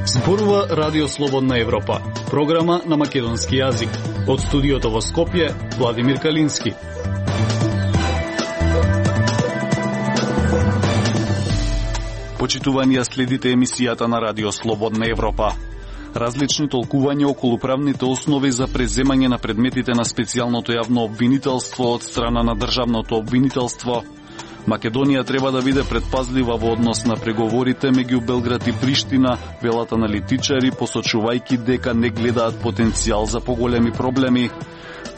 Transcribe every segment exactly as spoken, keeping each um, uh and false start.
Зборува Радио Слободна Европа, програма на македонски јазик. Од студиото во Скопје, Владимир Калински. Почитувани, ја следите емисијата на Радио Слободна Европа. Различни толкувања околу правните основи за преземање на предметите на специјалното јавно обвинителство од страна на државното обвинителство. Македонија треба да биде предпазлива во однос на преговорите меѓу Белград и Приштина, велат аналитичари, посочувајќи дека не гледаат потенцијал за поголеми проблеми.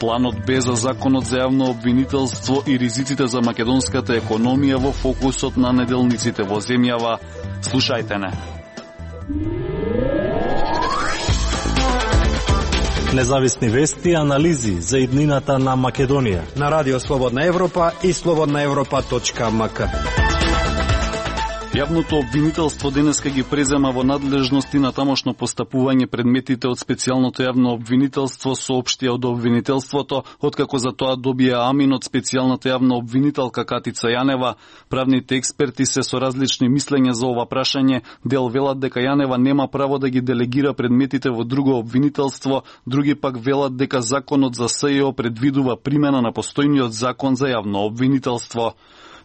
Планот Б за законот за јавно обвинителство и ризиците за македонската економија во фокусот на неделниците во земјава. Слушајте не. Независни вести и анализи за иднината на Македонија на Радио Слободна Европа и слободна европа точка ем ка. Јавното обвинителство денеска ги презема во надлежности на тамошно постапување предметите од специјалното јавно обвинителство, соопштија од обвинителството, откако за тоа добија амин од специјалната јавна обвинителка Катица Јанева. Правните експерти се со различни мислења за ова прашање. Дел велат дека Јанева нема право да ги делегира предметите во друго обвинителство, други пак велат дека законот за СЈО предвидува примена на постојниот закон за јавно обвинителство.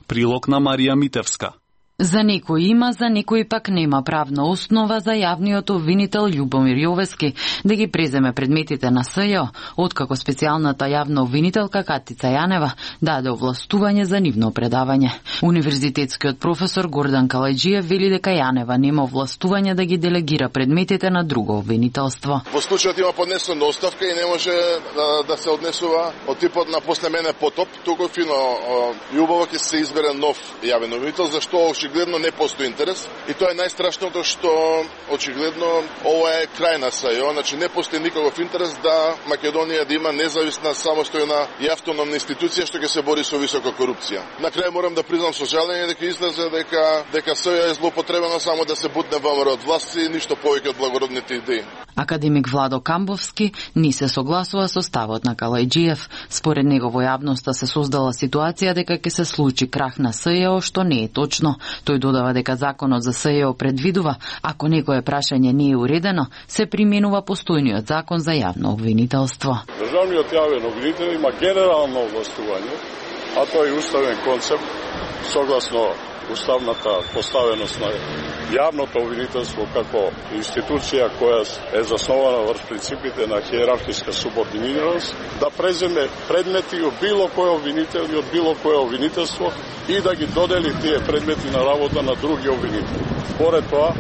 Прилог на Марија Митевска. За некој има, за некој пак нема правна основа за јавниот обвинител Љубомир Јовески да ги преземе предметите на СЈО, откако специјалната јавна обвинителка Катица Јанева даде овластување за нивно предавање. Универзитетскиот професор Гордан Калајџиев вели дека Јанева нема овластување да ги делегира предметите на друго обвинителство. Во случајот има поднесена оставка и не може да, да се однесува од типот на после мене потоп, туку фино љубаво ќе се избере нов јавен обвинител, зашто очигледно не постои интерес и тоа е најстрашното што очигледно ова е крај на СЈО, значи не постои никаков интерес да Македонија да има независна, самостојна и автономна институција што ќе се бори со висока корупција. На крај морам да признам со жалење дека излезе дека дека СЈО е злоупотребено само да се бутне ВМРО од власт и ништо повеќе од благородните идеи. Академик Владо Камбовски не се согласува со ставот на Калајџиев. Според него во јавноста се создала ситуација дека ќе се случи крах на СЈО, што не е точно. Тој додава дека законот за СЈО предвидува, ако некое прашање не е уредено, се применува постојниот закон за јавно обвинителство. Државниот јавен обвинител има генерално овластување, а тоа е уставен концепт, согласно уставната поставеност на јавното обвинителство како институција која е заснована врз принципите на хиерархиска субординираност, да преземе предмети од било кој обвинител и од било кое обвинителство и да ги додели тие предмети на работа на други обвинители. Според тоа,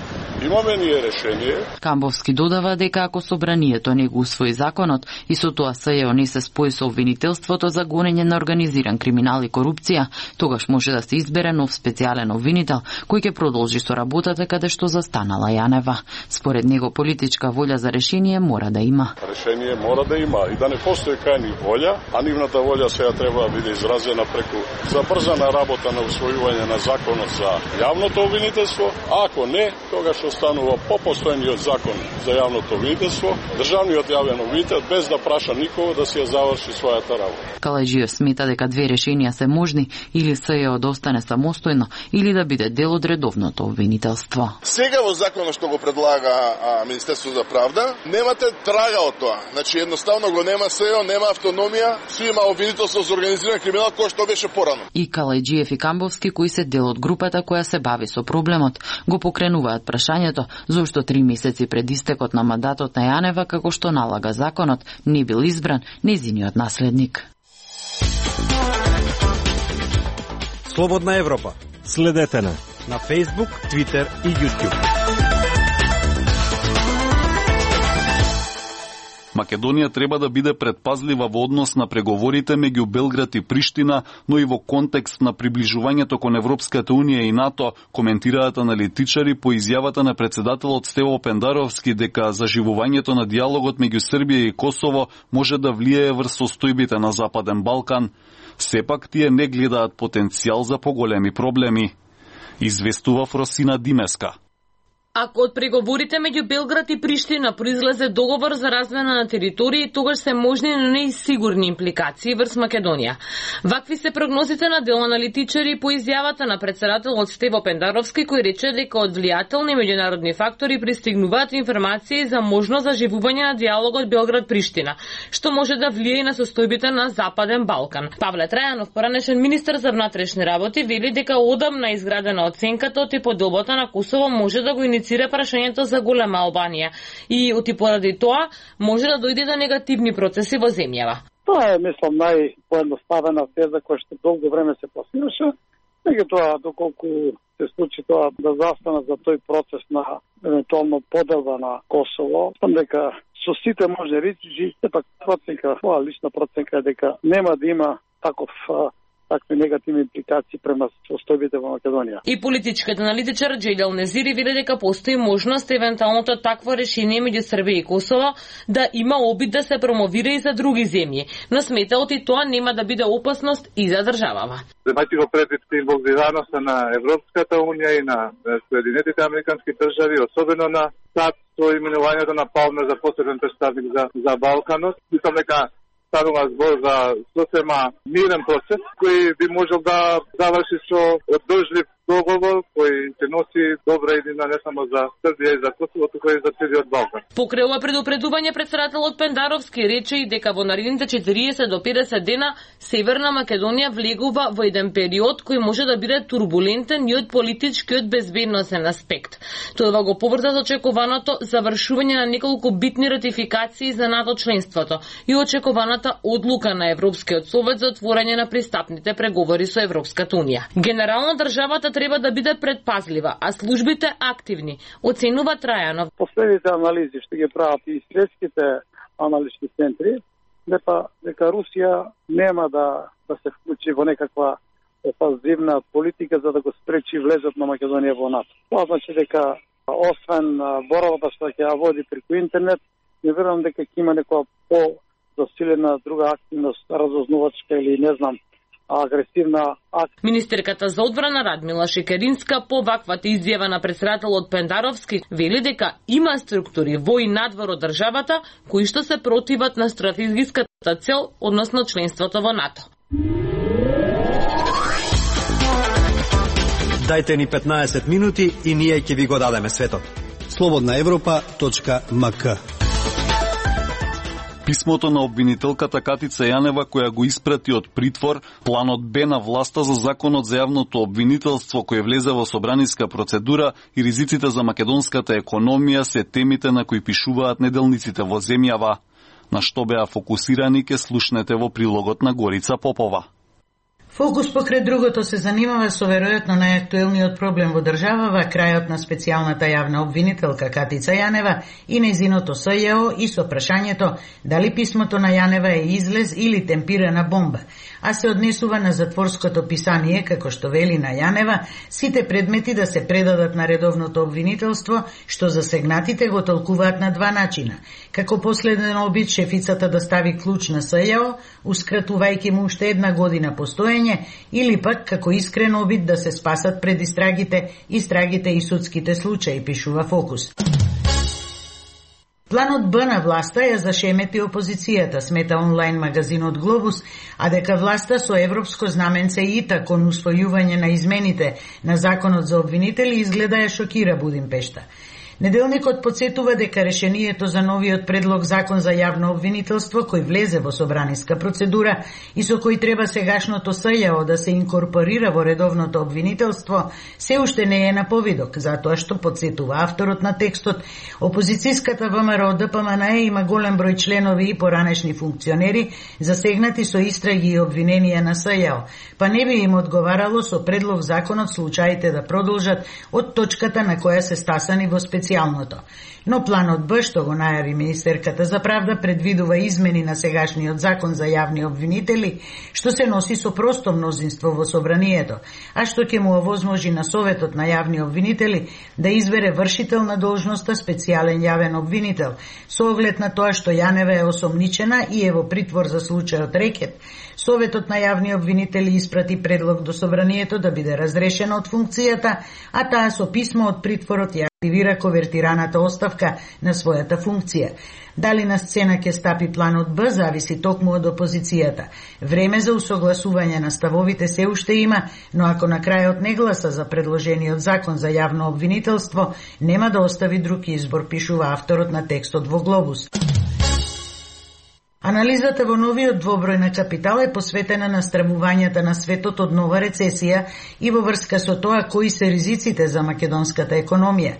имаме ние решение. Камбовски додава дека ако собранието не го усвои законот и со тоа СЈО не се спои со обвинителството за гонење на организиран криминал и корупција, тогаш може да се избере нов специјален обвинител кој ќе продолжи со работата каде што застанала Јанева. Според него политичка волја за решение мора да има. Решение мора да има и да не постои кај волја, а нивната волја сега треба да биде изразена преку забрзана работа на усвојување на законот за јавното обвинителство, а ако не, тогаш останува по постојниот закон за јавното обвинителство, државниот јавен обвинител без да праша никого да си ја заврши својата работа. Калајџиев смета дека две решенија се можни, или СЈО да остане самостојно или да биде дел од редовното обвинителство. Сега во законот што го предлага а, Министерство за правда, немате трага од тоа. Значи едноставно го нема СЈО, нема автономија, си има обвинителство за организиран криминал кој што беше порано. И Калајџиев и Камбовски, кои се дел од групата која се бави со проблемот, го покренуваат прашањето зошто три месеци пред истекот на мандатот на Јанева, како што налага законот, не бил избран нејзиниот наследник. Слободна Европа. Следете на на Facebook, Twitter и YouTube. Македонија треба да биде предпазлива во однос на преговорите меѓу Белград и Приштина, но и во контекст на приближувањето кон Европската унија и НАТО, коментираат аналитичари по изјавата на председателот Стево Пендаровски дека заживувањето на диалогот меѓу Србија и Косово може да влијае врз состојбите на Западен Балкан. Сепак тие не гледаат потенцијал за поголеми проблеми. Известува Фросина Димеска. Ако од преговорите меѓу Белград и Приштина произлезе договор за размена на територии, тогаш се можни, но не и сигурни импликации врз Македонија. Вакви се прогнозите на дел аналитичари по изјавата на претседателот Стево Пендаровски, кој рече дека од влијателни меѓународни фактори пристигнуваат информации за можно заживување на диалогот Белград-Приштина, што може да влие и на состојбите на Западен Балкан. Павле Трајанов, поранешен министер за внатрешни работи, вели дека одамна изградена оценката од поделбата на Косово може да го иницира прашањето за голема Албанија и оти поради тоа може да дојде до негативни процеси во земјава. Тоа е, мислам, најпоедноставена теза која што долго време се пласираше. Меѓутоа, доколку се случи тоа да застанат за тој процес на евентуално поделба на Косово, сам дека со сите може речи, сепак проценка, моја лична проценка е дека нема да има таков такви негативни импликации према состојбите во Македонија. И политичкиот аналитичар Джејдел Незири вели дека постои можност евентуалното такво решение меѓу Србија и Косово да има обид да се промовира и за други земји, но смета оти тоа нема да биде опасност и за државава. Земајќи го предвид инволвираноста на Европската унија и на Соединетите американски држави, особено на САД, со именувањето на Палме за посебен представник за, за Балканот, мислам дека станува збор за сосема мирен процес, кој би можел да заврши со одржлив договор кој се носи добра идеја не само за Србија и за Косово, туку и за целиот Балкан. Покрај ова предупредување, претседателот Пендаровски рече и дека во наредните четириесет до педесет дена Северна Македонија влегува во еден период кој може да биде турбулентен и од политички и од безбедносен аспект. Тоа го поврза со очекуваното завршување на неколку битни ратификации за НАТО членството и очекуваната одлука на Европскиот совет за отворање на пристапните преговори со Европската унија. Генерално државата треба да биде предпазлива, а службите активни, оценува Трајанов. Последните анализи што ги прават и светските аналитички центри, дека, дека Русија нема да, да се вклучи во некаква опазивна политика за да го спречи влезот на Македонија во НАТО. Тоа значи дека освен борбата што ќе ја води преку интернет, не верувам дека ќе има некоја по-засилена друга активност, разузнавачка или не знам, агресивна акција. Министерката за одбрана Радмила Шекеринска по ваквата изјава на претседателот Пендаровски вели дека има структури во и надвор од државата кои што се противат на стратегиската цел, односно членството во НАТО. Дајте ни петнаесет минути и ние ќе ви го дадеме светот. слободна европа точка ем ка. Писмото на обвинителката Катица Јанева, која го испрати од притвор, планот Б на власта за законот за јавното обвинителство кој влезе во собраниска процедура и ризиците за македонската економија се темите на кои пишуваат неделниците во земјава. На што беа фокусирани ке слушнете во прилогот на Горица Попова. Фокус покрај другото се занимава со веројатно најактуелниот проблем во државава, крајот на специјалната јавна обвинителка Катица Јанева и нејзиното С Ј О и со прашањето дали писмото на Јанева е излез или темпирана бомба, а се однесува на затворското писание, како што вели на Јанева, сите предмети да се предадат на редовното обвинителство, што засегнатите го толкуваат на два начина. Како последен обид шефицата да стави клуч на С Ј О, ускратувајќи му уште една година постоење, или пак како искрен обид да се спасат пред истрагите, истрагите и судските случаи, пишува Фокус. Планот Б на власта ја зашемети опозицијата, смета онлайн магазинот Глобус, а дека власта со европско знаменце ИТА кон усвојување на измените на законот за обвинители изгледа ја шокира Будимпешта. Неделникот подсетува дека решението за новиот предлог закон за јавно обвинителство, кој влезе во собраниска процедура и со кој треба сегашното С Ј О да се инкорпорира во редовното обвинителство, се уште не е на повидок, затоа што подсетува авторот на текстот. Опозицијската ВМРО Д П М Н Е има голем број членови и поранешни функционери засегнати со истраги и обвиненија на С Ј О, па не би им одговарало со предлог законот случаите да продолжат од точката на која се стасани во специјалното. Но планот Б, што го најави министерката за правда, предвидува измени на сегашниот закон за јавни обвинители, што се носи со просто мнозинство во собранието, а што ќе му овозможи на Советот на јавни обвинители да избере вршител на должноста специјален јавен обвинител, со оглед на тоа што Јанева е осомничена и е во притвор за случајот рекет. Советот на јавни обвинители испрати предлог до собранието да биде разрешена од функцијата, а таа со писмо од притворот ја активира ковертираната оставка на својата функција. Дали на сцена ќе стапи планот Б, зависи токму од опозицијата. Време за усогласување на ставовите се уште има, но ако на крајот не гласа за предложениот закон за јавно обвинителство, нема да остави друг избор, пишува авторот на текстот во Глобус. Анализата во новиот двоброј на Капитал е посветена на стравувањата на светот од нова рецесија и во врска со тоа кои се ризиците за македонската економија.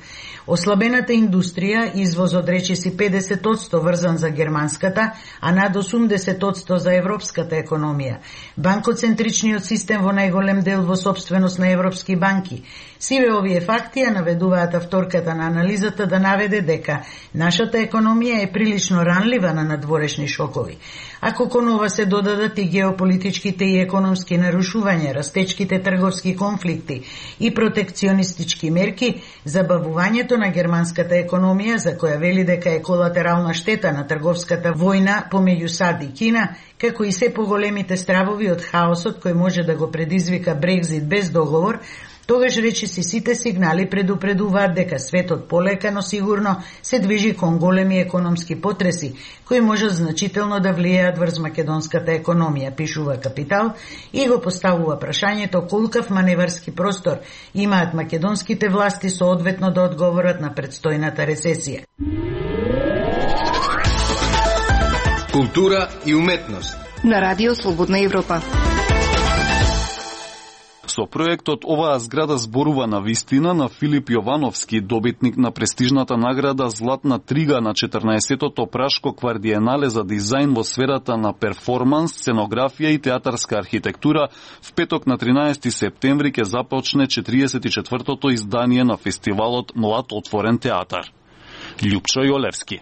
Ослабената индустрија, извозот речиси педесет одсто врзан за германската, а над осумдесет одсто за европската економија. Банкоцентричниот систем во најголем дел во сопственост на европски банки. Сиве овие факти ја наведуваат авторката на анализата да наведе дека нашата економија е прилично ранлива на надворешни шокови. Ако кон ова се додадат и геополитичките и економски нарушувања, растечките трговски конфликти и протекционистички мерки, забавувањето на германската економија, за која вели дека е колатерална штета на трговската војна помеѓу САД и Кина, како и се поголемите стравови од хаосот кој може да го предизвика Брекзит без договор, тогаш речиси сите сигнали предупредуваат дека светот полека, но сигурно се движи кон големи економски потреси, кои можат значително да влијаат врз македонската економија, пишува Капитал, и го поставува прашањето колкав маневарски простор имаат македонските власти соодветно да одговорат на предстојната рецесија. Култура и уметност на Радио Слободна Европа. Со проектот оваа зграда зборува на вистина на Филип Јовановски, добитник на престижната награда Златна трига на четрнаесеттото Прашко квардиенале за дизајн во сферата на перформанс, сценографија и театарска архитектура, в петок на тринаесети септември ќе започне четириесет и четвртото издание на фестивалот Млад отворен театар. Љупчо Јолевски.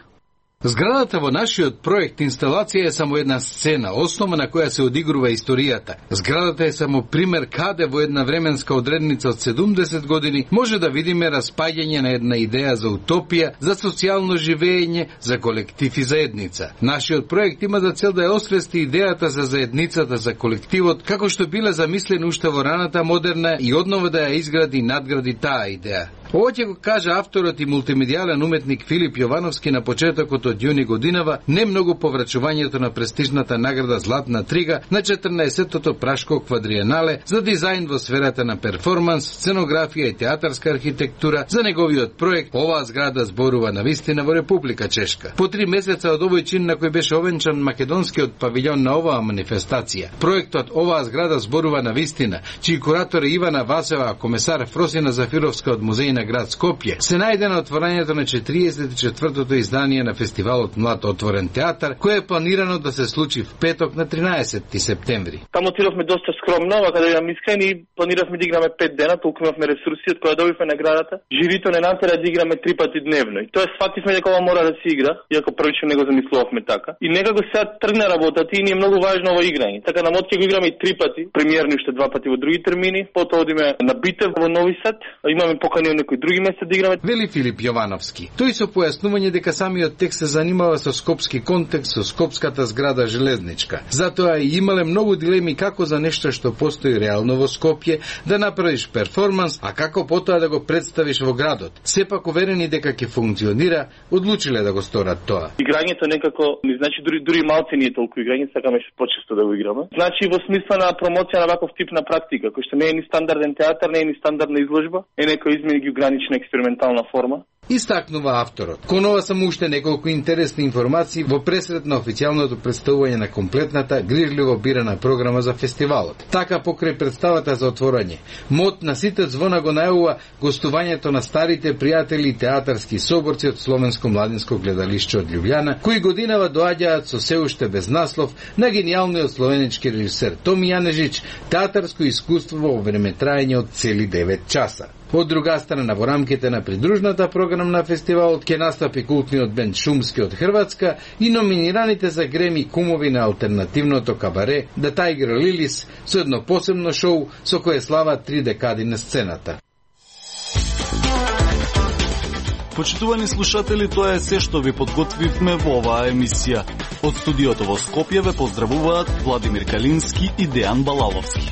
Зградата во нашиот проект инсталација е само една сцена, основа на која се одигрува историјата. Зградата е само пример каде во една временска одредница од седумдесет години може да видиме распаѓање на една идеја за утопија, за социјално живење, за колектив и заедница. Нашиот проект има за цел да ја освести идејата за заедницата, за колективот, како што биле замислени уште во раната модерна и однова да ја изгради и надгради таа идеја. Ова ќе го кажа авторот и мултимедијален уметник Филип Јовановски на почетокот од јуни годинава, не многу по врачувањето на престижната награда Златна трига на четрнаесеттото Прашко квадриенале за дизајн во сферата на перформанс, сценографија и театарска архитектура за неговиот проект. Оваа зграда зборува на вистина во Република Чешка. По три месеца од овој чин на кој беше овенчан македонскиот павилјон на оваа манифестација. Проектот Оваа зграда зборува на вистина, чиј куратор е Ивана Васева, комесар Фросина Зафировска од музеј на град Скопје, се најде на отворањето на четириесет и четвртото издание на фестивалот Млад отворен театар, кој е планирано да се случи в петок на тринаесети септември. Таму отидовме доста скромно, а каде бидам искрени, планиравме да играме пет дена, толку имавме ресурси од која добивме наградата. Жирито не натера да играме три пати дневно. И тоа сфативме дека ова мора да се игра, иако првично не го замислувавме така. И некако сега тргна работата и ни е многу важно ова играње. Така на мод ќе го играме и три пати, премиерни уште два пати во други термини, потоа одиме на Битев во Нови Сад, имаме покани од некои други места да играме. Вели Филип Јовановски. Тој со појаснување дека самиот текст се занимава со скопски контекст, со скопската зграда железничка. Затоа и имале многу дилеми како за нешто што постои реално во Скопје да направиш перформанс, а како потоа да го представиш во градот. Сепак уверени дека ќе функционира, одлучиле да го сторат тоа. Играњето некако, не значи дури дури малце не е толку играње, сакаме почесто да го играме. Значи во смисла на промоција на ваков тип на практика, кој што не е ни стандарден театар, не е ни стандардна изложба, е некој измени геогранична експериментална форма. Истакнува авторот. Кон ова само уште неколку интересни информации во пресред на официјалното представување на комплетната, грижливо бирана програма за фестивалот. Така покрај представата за отворање, мод на сите звона го најавува гостувањето на старите пријатели и театарски соборци од Словенско младинско гледалиште од Љубљана, кои годинава доаѓаат со се уште без наслов на гениалниот словенички режисер Томи Јанежич, театарско искуство во време траење од цели девет часа. Од друга страна, во рамките на придружната програмна фестивалот ќе настапи култниот бенд Шумски од Хрватска и номинираните за Греми кумови на алтернативното кабаре The Tiger Lilies со едно посебно шоу со кое слава три декади на сцената. Почитувани слушатели, тоа е се што ви подготвивме во оваа емисија. Од студиото во Скопје ве поздравуваат Владимир Калински и Дејан Балаловски.